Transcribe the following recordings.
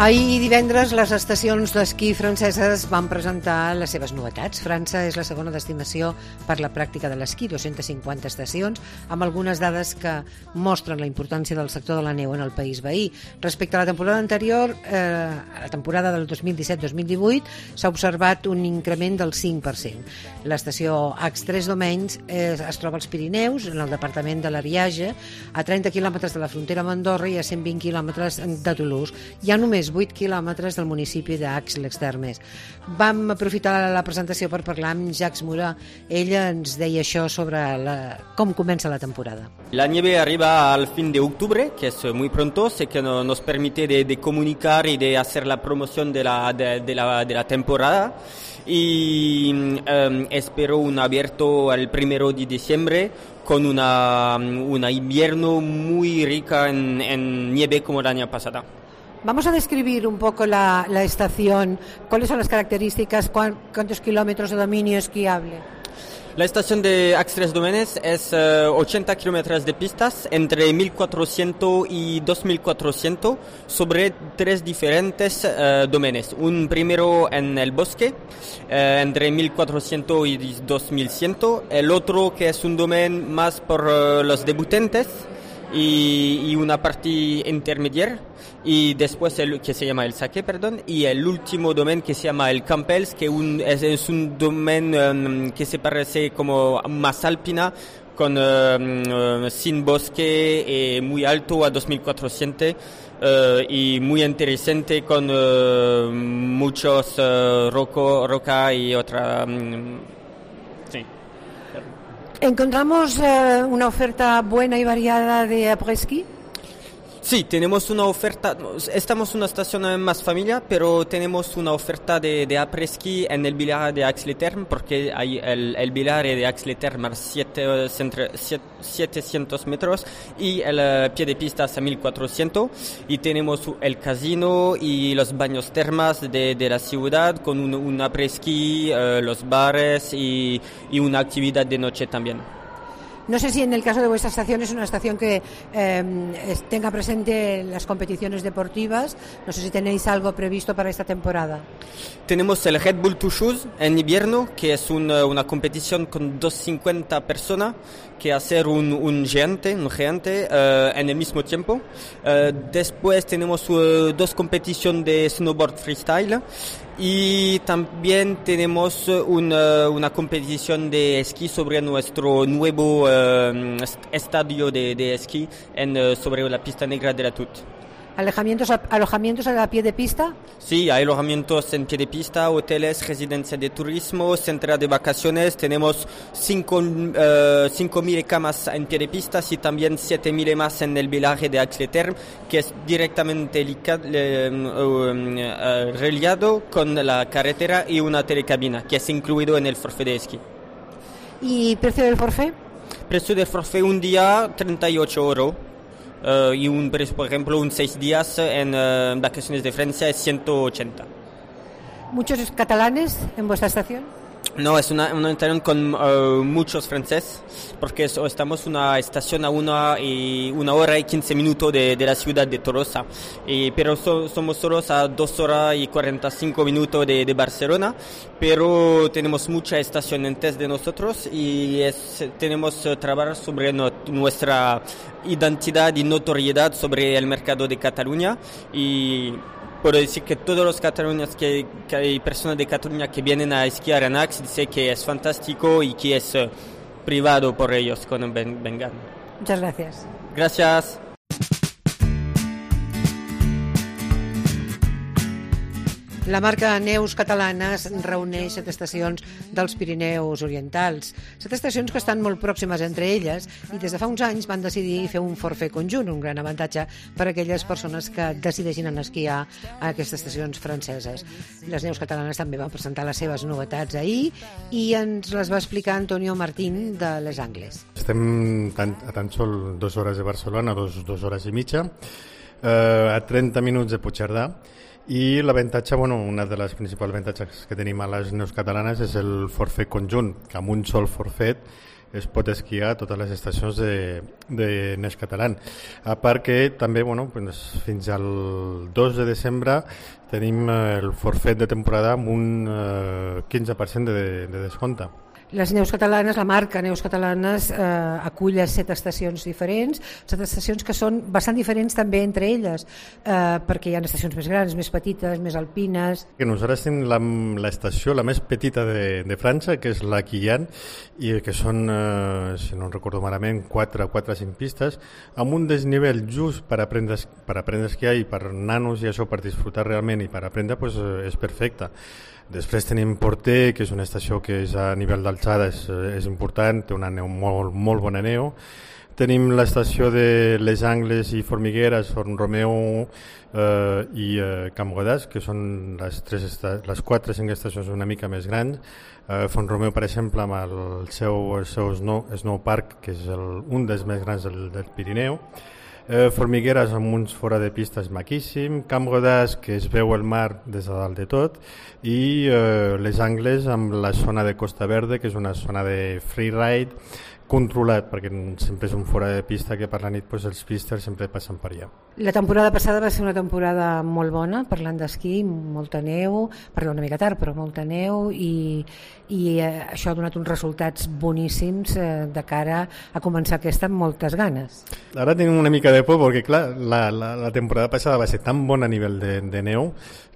Ahir divendres les estacions d'esquí franceses van presentar les seves novetats. França és la segona destinació per la pràctica de l'esquí, 250 estacions, amb algunes dades que mostren la importància del sector de la neu en el país veí. Respecte a la temporada anterior, a la temporada del 2017-2018, s'ha observat un increment del 5%. L'estació Aix-les-Domaines es troba als Pirineus, en el departament de l'Ariège, a 30 quilòmetres de la frontera amb Andorra i a 120 quilòmetres de Toulouse. Hi ha només 8 quilòmetres del municipi d'Aix-les-Thermes. Vam aprofitar la presentació per parlar amb Jacques Mura. Ella ens deia això sobre com comença la temporada. La nieve arriba al fin de octubre, que es muy pronto, sé que nos permite de comunicar y de hacer la promoción de la temporada. Y espero un abierto el 1 de diciembre con una invierno muy rica en nieve como el año pasado. Vamos a describir un poco la estación. ¿Cuáles son las características? ¿Cuántos kilómetros de dominio esquiable? La estación de Aix-les-Domaines es 80 kilómetros de pistas entre 1400 y 2400 sobre 3 diferentes domenes. Un primero en el bosque, entre 1400 y 2100. El otro que es un domen más por los debutantes y una parte intermedia, y después que se llama el Saque, y el último domen que se llama el Campels, que es un domen que se parece como más alpina, sin bosque, muy alto a 2400 y muy interesante con muchos roca y otra. Sí. ¿Encontramos una oferta buena y variada de après-ski? Sí, tenemos una oferta, estamos en una estación más familiar, pero tenemos una oferta de après-ski en el Village de Aix-les-Thermes, porque hay el Village de Aix-les-Thermes 700 metros y el pie de pista a 1400, y tenemos el casino y los baños termas de la ciudad con un après-ski, los bares y una actividad de noche también. No sé si en el caso de vuestra estación es una estación que tenga presente las competiciones deportivas. No sé si tenéis algo previsto para esta temporada. Tenemos el Red Bull Two Shoes en invierno, que es una competición con 250 personas que hacer un gigante en el mismo tiempo. Después tenemos 2 competiciones de snowboard freestyle. Y también tenemos una competición de esquí sobre nuestro nuevo estadio de esquí sobre la pista negra de la Tut. ¿Alojamientos a pie de pista? Sí, hay alojamientos en pie de pista, hoteles, residencias de turismo, centros de vacaciones. Tenemos 5.000 camas en pie de pista y también 7.000 más en el Village de Aix-les-Thermes, que es directamente reliado con la carretera y una telecabina, que es incluido en el forfait de esquí. ¿Y precio del forfait? Precio del forfait un día, 38 euros. Y por ejemplo, 6 días en vacaciones de Francia es 180. ¿Muchos catalanes en vuestra estación? No, es una estación con muchos franceses, porque estamos en una estación a 1 hora y 15 minutos de la ciudad de Tolosa, pero somos solos a 2 horas y 45 minutos de Barcelona, pero tenemos mucha estación antes de nosotros y tenemos trabajar sobre nuestra identidad y notoriedad sobre el mercado de Cataluña. Y puedo decir que todos los catalanes que hay personas de Cataluña que vienen a esquiar en Aix dicen que es fantástico y que es privado por ellos cuando vengan. Muchas gracias. Gracias. La marca Neus Catalanes reuneix 7 estacions dels Pirineus Orientals. 7 estacions que estan molt pròximes entre elles i des de fa uns anys van decidir fer un forfait conjunt, un gran avantatge per a aquelles persones que decideixin anar a esquiar a aquestes estacions franceses. Les Neus Catalanes també van presentar les seves novetats ahir i ens les va explicar Antonio Martín de Les Angles. Estem a tan sol 2 hores de Barcelona, 2 hores i mitja, a 30 minuts de Puigcerdà. I l'avantatge, una de les principals avantatges que tenim a les Neus Catalanes és el forfait conjunt, que amb un sol forfait es pot esquiar a totes les estacions de Neix Catalán. A part que també, fins al 2 de desembre tenim el forfet de temporada amb un 15% de descompte. Les Neus Catalanes, la marca Neus Catalanes acull 7 estacions diferents, 7 estacions que són bastant diferents també entre elles, perquè hi ha estacions més grans, més petites, més alpines. Nosaltres tenim l'estació la més petita de França, que és la Quillan, i que són, si no recordo malament, 4 o 5 pistes, amb un desnivell just per aprendre a esquiar i per nanos i això, per disfrutar realment i per aprendre, és perfecte. Després tenim Porter, que és una estació que és a nivell d'alçada, és important, té una neu molt bona neu. Tenim l'estació de Les Angles i Formigueres, Font Romeu i Camp Godàs, que són les 4 o 5 estacions una mica més grans. Font Romeu, per exemple, amb el seu Snow Park, que és un dels més grans del Pirineu. Formigueres amb uns fora de pistes maquíssim, Camp Godàs, que es veu el mar des de dalt de tot, i Les Angles amb la zona de Costa Verde, que és una zona de freeride controlat, perquè sempre és un fora de pista que per la nit els pisters sempre passen per allà. La temporada passada va ser una temporada molt bona, parlant d'esquí, molta neu, una mica tard, però molta neu, i això ha donat uns resultats boníssims de cara a començar aquesta amb moltes ganes. Ara tenim una mica de por, perquè clar, la temporada passada va ser tan bona a nivell de neu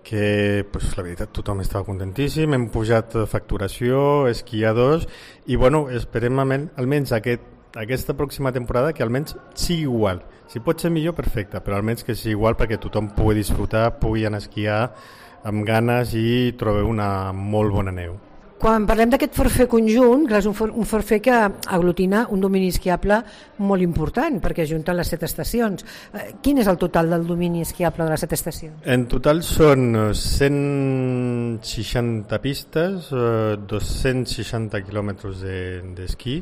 que la veritat tothom estava contentíssim, hem pujat facturació, esquiadors, i esperem almenys aquesta pròxima temporada que almenys sigui igual. Si pot ser millor, perfecte, però almenys que sigui igual perquè tothom pugui disfrutar, pugui anar a esquiar amb ganes i trobi una molt bona neu. Quan parlem d'aquest forfait conjunt, clar, és un forfait que aglutina un domini esquiable molt important, perquè ajunta les 7 estacions. Quin és el total del domini esquiable de les 7 estacions? En total són 160 pistes, 260 quilòmetres d'esquí,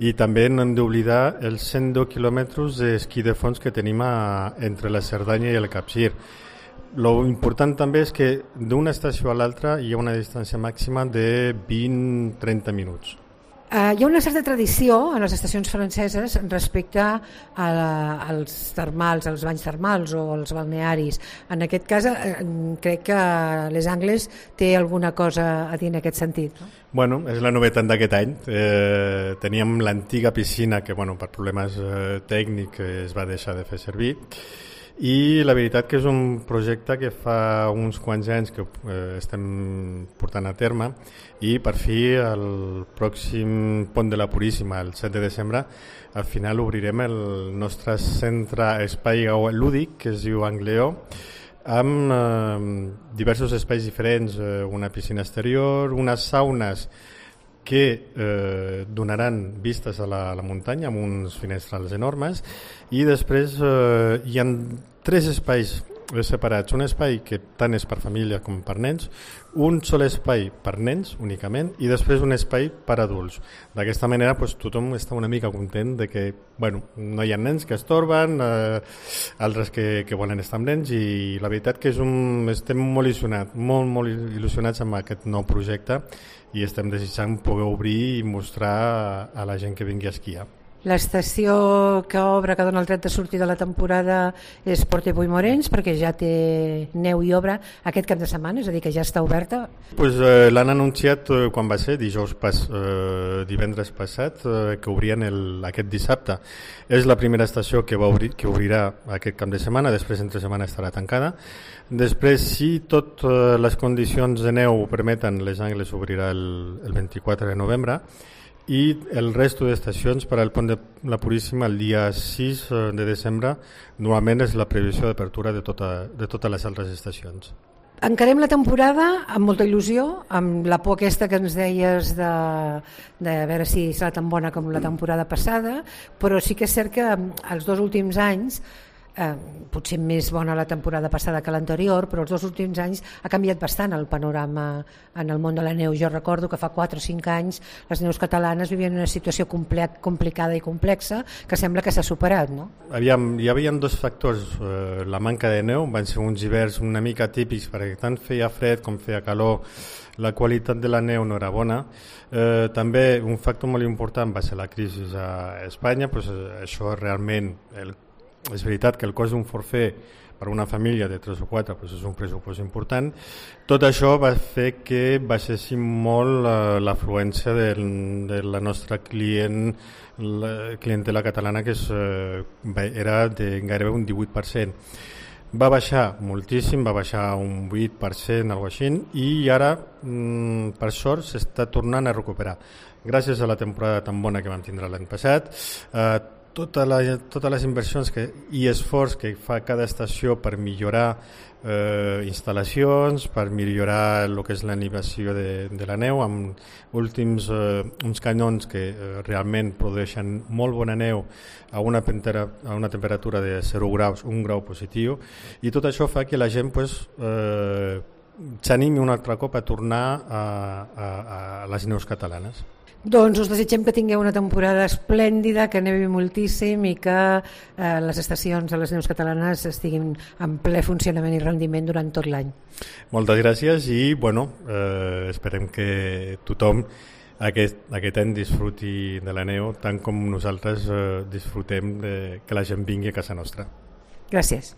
i també no hem d'oblidar els 110 quilòmetres d'esquí de fons que tenim entre la Cerdanya i el Capcir. Lo important també és que d'una estació a l'altra hi ha una distància màxima de 20-30 minuts. Hi ha una certa tradició en les estacions franceses respecte als termals, als banys termals o als balnearis. En aquest cas, crec que Les Angles té alguna cosa a dir en aquest sentit, no? Bueno, és la novetat d'aquest any. Teníem l'antiga piscina que, per problemes tècnics es va deixar de fer servir, i la veritat que és un projecte que fa uns quants anys que estem portant a terme, i per fi el pròxim Pont de la Puríssima, el 7 de desembre, al final obrirem el nostre centre espai lúdic que es diu Angleó, amb diversos espais diferents, una piscina exterior, unes saunes que donaran vistes a la muntanya amb uns finestrals enormes, i després hi ha 3 espais separats, un espai que tant és per família com per nens, un sol espai per nens únicament, i després un espai per adults. D'aquesta manera tothom està una mica content de que no hi ha nens que es torben, altres que volen estar amb nens, i la veritat que estem molt il·lusionats amb aquest nou projecte, i estem desitjant poder obrir i mostrar a la gent que vingui a esquiar. L'estació que obre, que dona el tret de sortir de la temporada, és Port-de-Puigmorens, perquè ja té neu i obra aquest cap de setmana, és a dir, que ja està oberta. L'han anunciat quan va ser, divendres passat, que obrien aquest dissabte. És la primera estació que obrirà aquest cap de setmana, després entre setmana estarà tancada. Després, si totes les condicions de neu ho permeten, Les Angles obrirà el 24 de novembre, i el resto d'estacions per al Pont de la Puríssima el dia 6 de desembre normalment és la previsió d'apertura de totes les altres estacions. Encarem la temporada amb molta il·lusió, amb la por aquesta que ens deies de veure si serà tan bona com la temporada passada, però sí que és cert que els 2 últims anys, potser més bona la temporada passada que l'anterior, però els 2 últims anys ha canviat bastant el panorama en el món de la neu. Jo recordo que fa 4 o 5 anys les neus catalanes vivien una situació complicada i complexa que sembla que s'ha superat, no? Hi havia 2 factors. La manca de neu, van ser uns hiverns una mica típics perquè tant feia fred com feia calor, la qualitat de la neu no era bona. També un factor molt important va ser la crisi a Espanya, pues, això realment, és veritat que el cost d'un forfait per una família de 3 o 4 pues és un pressupost important. Tot això va fer que baixéssim molt l'afluència de la nostra clientela catalana, que era de gairebé un 18%. Va baixar moltíssim, va baixar un 8%, alguna cosa així, i ara, per sort, s'està tornant a recuperar. Gràcies a la temporada tan bona que vam tindre l'any passat, totes les inversions i esforç que fa cada estació per millorar instal·lacions, per millorar el que és l'animació de la neu, amb uns canyons que realment produeixen molt bona neu a una temperatura de 0 graus, 1 grau positiu, i tot això fa que la gent s'animi un altre cop a tornar a les neus catalanes. Doncs us desitgem que tingueu una temporada esplèndida, que nevi moltíssim i que les estacions de les neus catalanes estiguin en ple funcionament i rendiment durant tot l'any. Moltes gràcies i esperem que tothom aquest any disfruti de la neu tant com nosaltres disfrutem que la gent vingui a casa nostra. Gràcies.